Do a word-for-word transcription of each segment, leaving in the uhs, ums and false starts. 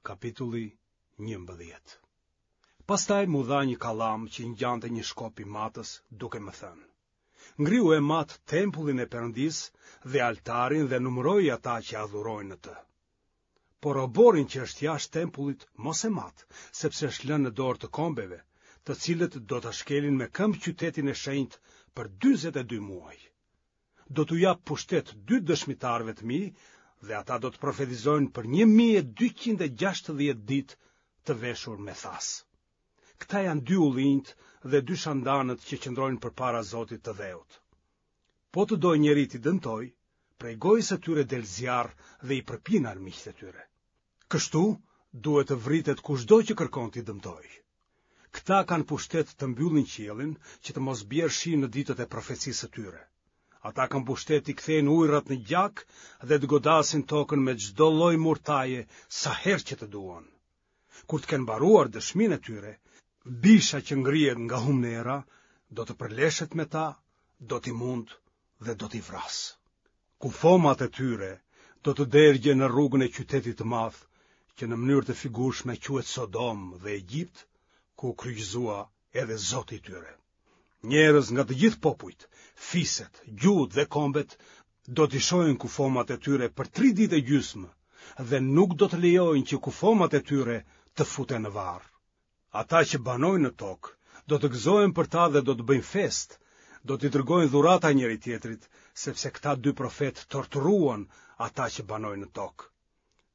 Kapitulli njëmbëdhjetë. Pastaj m'u dha një kallam që i ngjante një shkopi matës, duke më thënë: Ngrihu e mat tempullin e Perëndisë dhe altarin dhe numëroji ata që adhurojnë në të. Por oborrin që është jashtë tempullit mos e mat, sepse është lënë në dorë të kombeve, të cilët do ta shkelin me këmbë qytetin e shenjtë për dyzet e dy muaj. Do t'u jap pushtet dy dëshmitarëve të mi dhe ata do të profetizojnë për një mijë e dyqind e gjashtëdhjetë ditë të veshur me thasë. Këta janë dy ullinjtë dhe dy shandanët që qëndrojnë përpara Zotit të dheut. Po të dojë njeri t'i dëmtojë, prej gojës së tyre del zjarr dhe i përpin armiqtë e tyre. Kështu duhet të vritet kushdo që kërkon t'i dëmtojë. Këta kanë pushtet të mbyllin qiellin, që të mos bjerë shi në ditët e profecisë së tyre. Ata kanë pushtet t'i kthejnë ujërat në gjak dhe të godasin tokën me çdo lloj murtaje sa herë që të duan. Kur të kenë mbaruar dëshminë e tyre, bisha që ngrihet nga humnera do të përleshet me ta, do t'i mundë dhe do t'i vrasë. Kufomat e tyre do të dergjen në rrugën e qytetit të madh, që në mënyrë të figurshme quhet Sodom dhe Egjipt, ku u kryqëzua edhe Zoti i tyre. Njerëz nga të gjithë popujt, fiset, gjuhët dhe kombet do t'i shohin kufomat e tyre për tri ditë e gjysmë dhe nuk do të lejojnë që kufomat e tyre të futen në varr. Ata që banojnë në tokë do të gëzohen për ta dhe do të bëjnë festë, do t'i dërgojnë dhurata njëri-tjetrit, sepse këta dy profetë torturuan ata që banojnë në tokë.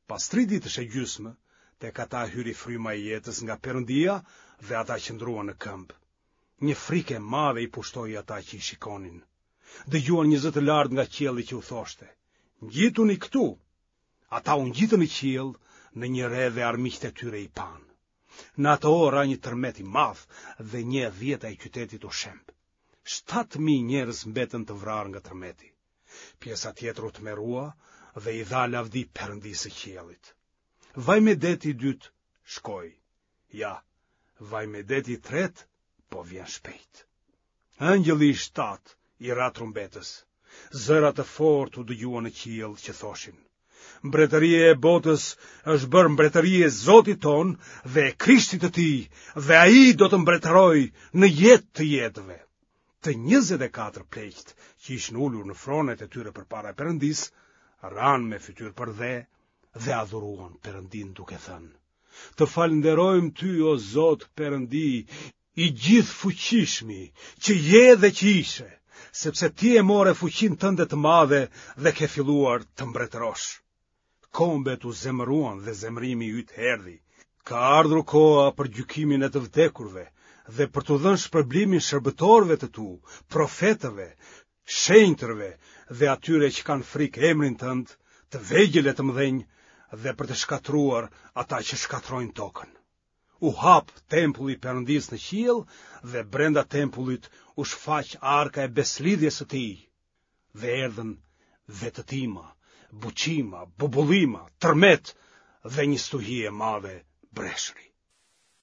Pas tri ditësh e gjysmë, tek ata hyri fryma e jetës nga Perëndia dhe ata qëndruan në këmbë. Një frikë e madhe i pushtoi ata që i shikonin. Dëgjuan një zë të lartë nga qielli që u thoshte: Ngjituni këtu. Ata u ngjitën në qiell në një re dhe armiqtë e tyre i panë. Në atë orë ra një tërmet i madh dhe një e dhjeta e qytetit u shemb. Shtatë mijë njerëz mbetën të vrarë nga tërmeti. Pjesa tjetër u tmerrua dhe i dha lavdi Perëndisë së qiellit. Vajmedeti i dytë shkoi. Ja, vajmedeti i tretë po vjen shpejt. Engjëlli i shtatë i ra trumbetës. Zëra të fortë u dëgjuan në qiell që thoshin: Mbretëria e botës është bërë mbretëri e Zotit tonë dhe e Krishtit të tij, dhe ai do të mbretërojë në jetë të jetëve. Të njëzet e katër pleqtë që ishin ulur në fronet e tyre përpara Perëndisë, ranë me fytyrë përdhe dhe adhuruan Perëndinë duke thënë: Të falënderojmë ty, o Zot Perëndi, i gjithëfuqishmi, që je dhe që ishe, sepse ti e more fuqinë tënde të madhe dhe ke filluar të mbretërosh. Kombet u zemëruan dhe zemërimi yt erdhi. Ka ardhur koha për gjykimin e të vdekurve dhe për t'u dhënë shpërblimin shërbëtorëve të tu, profetëve, shenjtërve dhe atyre që kanë frikë emrin tënd, të vegjël e të mëdhenj, dhe për të shkatërruar ata që shkatërrojnë tokën. U hap tempulli i Perëndisë në qiell dhe brenda tempullit u shfaq arka e besëlidhjes së tij. Dhe erdhën vetëtima, buçima, bubullima, tërmet dhe një stuhi e madhe breshëri.